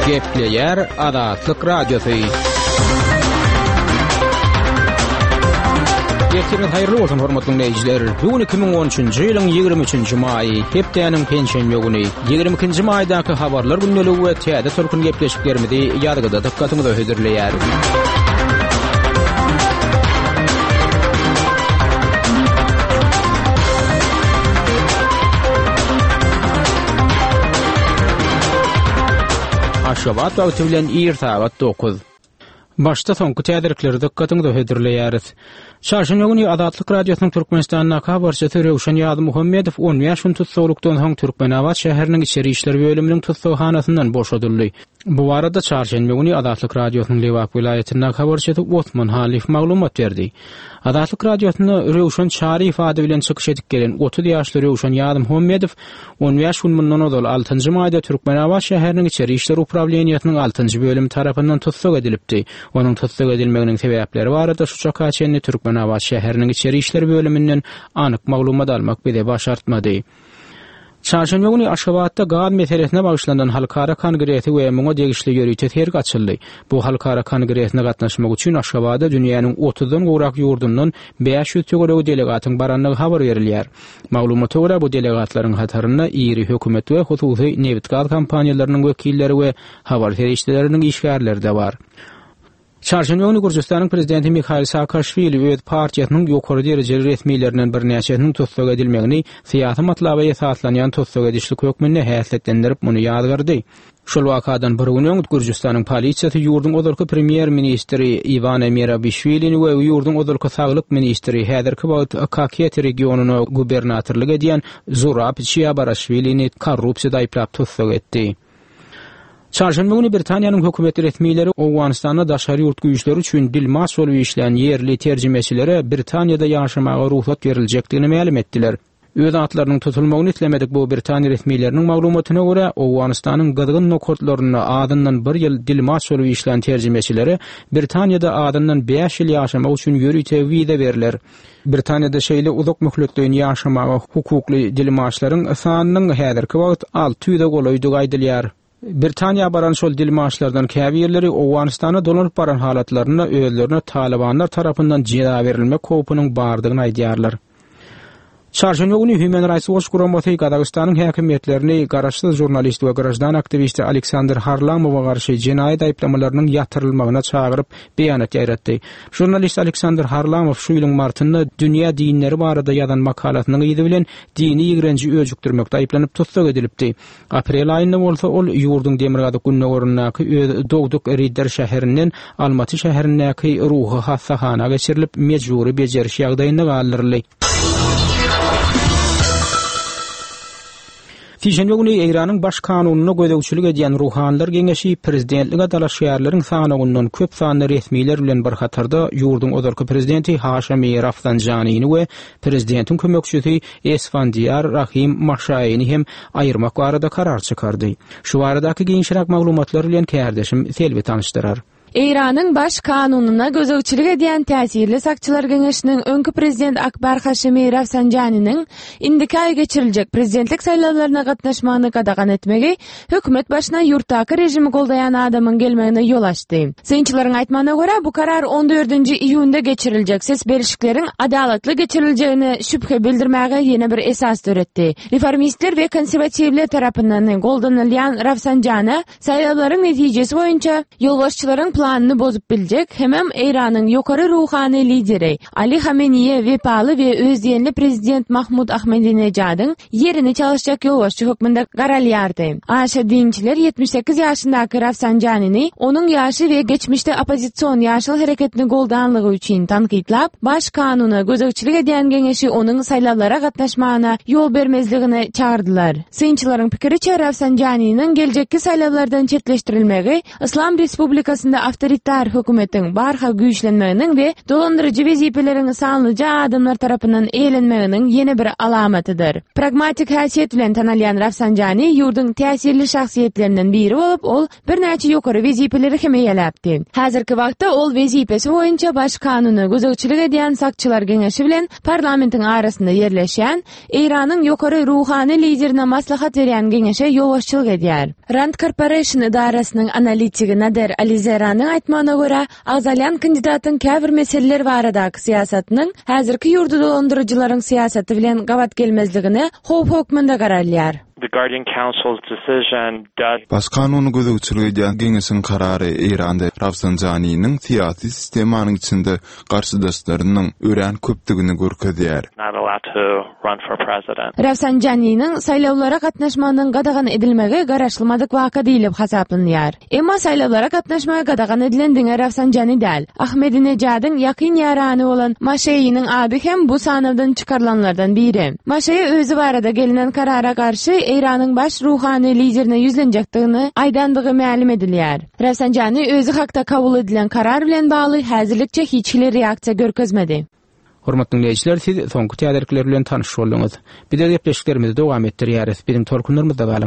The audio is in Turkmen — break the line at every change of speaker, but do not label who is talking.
Gepleýär Azatlyk Radiosy. Ertiriňiz haýyrly bolsun, hormatly diňleýjiler. Bu gün 2013-nji ýylyň 23-nji maýy, hepdäniň penşenbe güni. 22-nji maýdaky habarlar gündeligi we täze tolkun gepleşiklerimizi ýazgyda dykgatyňyza hödürleýäris. Aşgabat wagty bilen ir sagat 9. Başda soňky täzelikleri dykgatyňyza hödürleýäris. Çarşenbe güni Azatlyk Radiosynyň Türkmenistandaky habarçysy Röwşen Ýazmuhammedow 15 gün tussaglykdan soň Türkmenabat şäheriniň içeri işler bölüminiň tussaghanasyndan boşadyldy. Bu barada çarşenbe güni Azatlyk Radiosynyň Lebap welaýatyndaky habarçysy Osman Halyýew maglumat berdi. Azatlyk Radiosynda Röwşen Çaryýew ady bilen çykyş edip gelen 30 ýaşly Röwşen Ýazmuhammedow 15 gün mundan ozal, altynjy maýda Türkmenabat şäheriniň içeri işler uprawleniýesiniň altynjy bölümi tarapyndan tussag edilipdi. Onuň tussag edilmeginiň sebäpleri barada şu çaka çenli Türkmenabat şäheriniň içeri işler bölüminden anyk maglumat almak bize başartmady. Çarşenbe güni Aşgabatda gaz meselesine bagyşlanan halkara kongresi we muňa degişli ýörite sergi açyldy. Bu halkara kongresine gatnaşmak üçin Aşgabada dünýäniň otuzdan gowrak ýurdundan 500 töweregi delegatyň barandygy habar berilýär. Maglumata görä, bu delegatlaryň hatarynda iri hökümet we hususy nebit-gaz kompaniýalarynyň wekilleri we habar serişdeleriniň işgärleri-de bar. Çarşenbe güni Gürjüstanyň prezidenti Mihail Saakaşwili öz partiýasynyň ýokary derejeli resmilerinden birnäçesiniň tussag edilmegini syýasy matlaba esaslanýan tussag edişlik hökmünde häsiýetlendirip, muny ýazgardy. Şol wakadan bir gün öň Gürjüstanyň polisiýasy ýurduň ozalky premýer-ministri Iwane Merabişwilini we ýurduň ozalky saglyk ministri, häzirki wagt Kaketi regionyna gubernatorlyk edýän Zurab Çiabaraşwilini korrupsiýada aýyplap tussag etdi. Çarşenbe güni Britaniýanyň hökümet resmileri Owganystanda daşary ýurt güýçleri üçin dilmaç bolup işlän ýerli terjimeçilere Britaniýada ýaşamaga rugsat beriljekdigini mälim etdiler. Öz atlarynyň tutulmagyny islemedik bu britan resmileriniň maglumatyna görä, Owganystanyň gyzgyn nokatlarynda azyndan bir ýyl dilmaç bolup işlän terjimeçilere Britaniýada azyndan bäş ýyl ýaşamak üçin ýörite wiza berler. Britaniýada şeýle uzak möhletleýin ýaşamaga hukukly dilmaçlaryň sanynyň häzirki wagt 600-e golaýdygy aýdylýar. Britaniýa baran şol dilmaçlardan käbirleri Owganystana dolanyp baran halatlarynda özlerine talybanlar tarapyndan jeza berilmek howpunyň bardygyny aýdýarlar. Çarşenbe güni Human Rights Watch guramasy Gazagystanyň häkimiýetlerini garaşsyz žurnalist we graždan aktiwisti Aleksandr Harlamowa garşy jenaýat aýyplamalarynyň ýatyrylmagyna çagyryp, beýanat ýaýratdy. Žurnalist Aleksandr Harlamow şu ýylyň martynda dünýä dinleri barada ýazan makalasynyň yzy bilen dini ýigrenji öjükdirmekde aýyplanyp tussag edilipdi. Aprel aýynda bolsa ol ýurduň demirgazyk-gündogaryndaky öz dogduk Ridder şäherinden Almaty şäherindäki ruhy hassahana geçirilip, mejbury bejeriş ýagdaýynda galdyryldy. Sişenbe güni Eýranyň Baş kanunyna gözegçilik edýän Ruhanylar geňeşi prezidentlige dalaşgärleriň sanawyndan köp sanly resmiler bilen bir hatarda ýurduň ozalky prezidenti Haşemi Rafsanjanini we prezidentiň kömekçisi Esfandiýar Rahim Maşaýyny hem aýyrmak barada karar çykardy. Şu baradaky giňişräk maglumatlar bilen kärdeşim Selbi tanyşdyrar.
Eýranyň Baş kanunyna gözegçilik edýän täsirli sakçylar geňeşiniň öňki prezident Akbar Haşemi Rafsanjaniniň indiki aý geçiriljek prezidentlik saýlawlaryna gatnaşmagyny gadagan etmegi hökümet başyna ýurtdaky režimi goldaýan adamyň gelmegine ýol açdy. Synçylaryň aýtmagyna görä, bu karar on dördünji iýunda geçiriljek ses berişikleriň adalatly geçiriljegine şübhe bildirmäge ýene bir esas döretdi. Reformistler we konserwatiwler tarapyndan goldanylýan Rafsanjana saýlawlaryň netijesi boýunça ýolbaşçylaryň planyny bozup biljek hemem Eýranyň ýokary ruhany lideri Ali Hameniýe wepaly we özdiýenli prezident Mahmud Ahmedinejadyň ýerini çalyşjak ýolbaşçy hökmünde garalýardy. Aşa dinçiler 78 ýaşyndaky Rafsanjanini onuň ýaşy we geçmişde oppozision Ýaşyl hereketini goldanlygy üçin tankytlap, Baş kanuna gözegçilik edýän geňeşi onuň saýlawlara gatnaşmagyna ýol bermezligine çagyrdylar. Synçylaryň pikiriçe, Rafsanjaniniň geljekki saýlawlardan çetleşdirilmegi Yslam Respublikasynda awtoritar hökümetiň barha güýçlenmeginiň we dolandyryjy wezipeleriň sanlyja adamlar tarapyndan eýelenmeginiň ýene bir alamatydyr. Pragmatik häsiýet bilen tanalýan Rafsanjani ýurduň täsirli şahsyýetlerinden biri bolup, ol birnäçe ýokary wezipeleri hem eýeläpdi. Häzirki wagtda ol wezipesi boýunça Baş kanuna gözegçilik edýän Sakçylar geňeşi bilen parlamentiň arasynda ýerleşýän Eýranyň ýokary ruhany liderine maslahat berýän geňeşe ýolbaşçylyk edýär. Rand Corporation edarasynyň analitigi Nader Alizeranyň aýtmagyna görä, agzalýan kandidatyň käbir meseleler baradaky syýasatynyň häzirki ýurdy dolandyryjylaryň syýasaty bilen gabat gelmezligine howp hökmünde garalýar.
The Guardian Council's decision does.
Baş kanuny gözegçilik edýän geňeşiň karary Eýranda Rafsanjaniniň syýasy sistemanyň içinde garşydaşlarynyň örän köpdügini görkezýär.
Not allowed to run for president.
Rafsanjaniniň saýlawlara gatnaşmagynyň gadagan edilmegi garaşylmadyk waka diýlip hasaplanýar. Emma saýlawlara gatnaşmagy gadagan edilen diňe Rafsanjani däl. Ahmedinejadyň ýakyn ýarany bolan Maşeýiniň ady hem bu sanawdan çykarylanlardan biri. Maşeýi özi barada gelnen karara garşy Eýranyň baş ruhany liderine ýüzlenjekdigini aýdandygy mälim edilýär. Rafsanjani özi hakda kabul edilen karar bilen bagly häzirlikçe hiç hili reaksiýa görkezmedi.
Hormatly diňleýjiler, siz soňky täzelikler bilen tanyş bolduňyz. Biz öz gepleşiklerimizi dowam etdirýäris. Biziň tolkunlarymyzda galyň.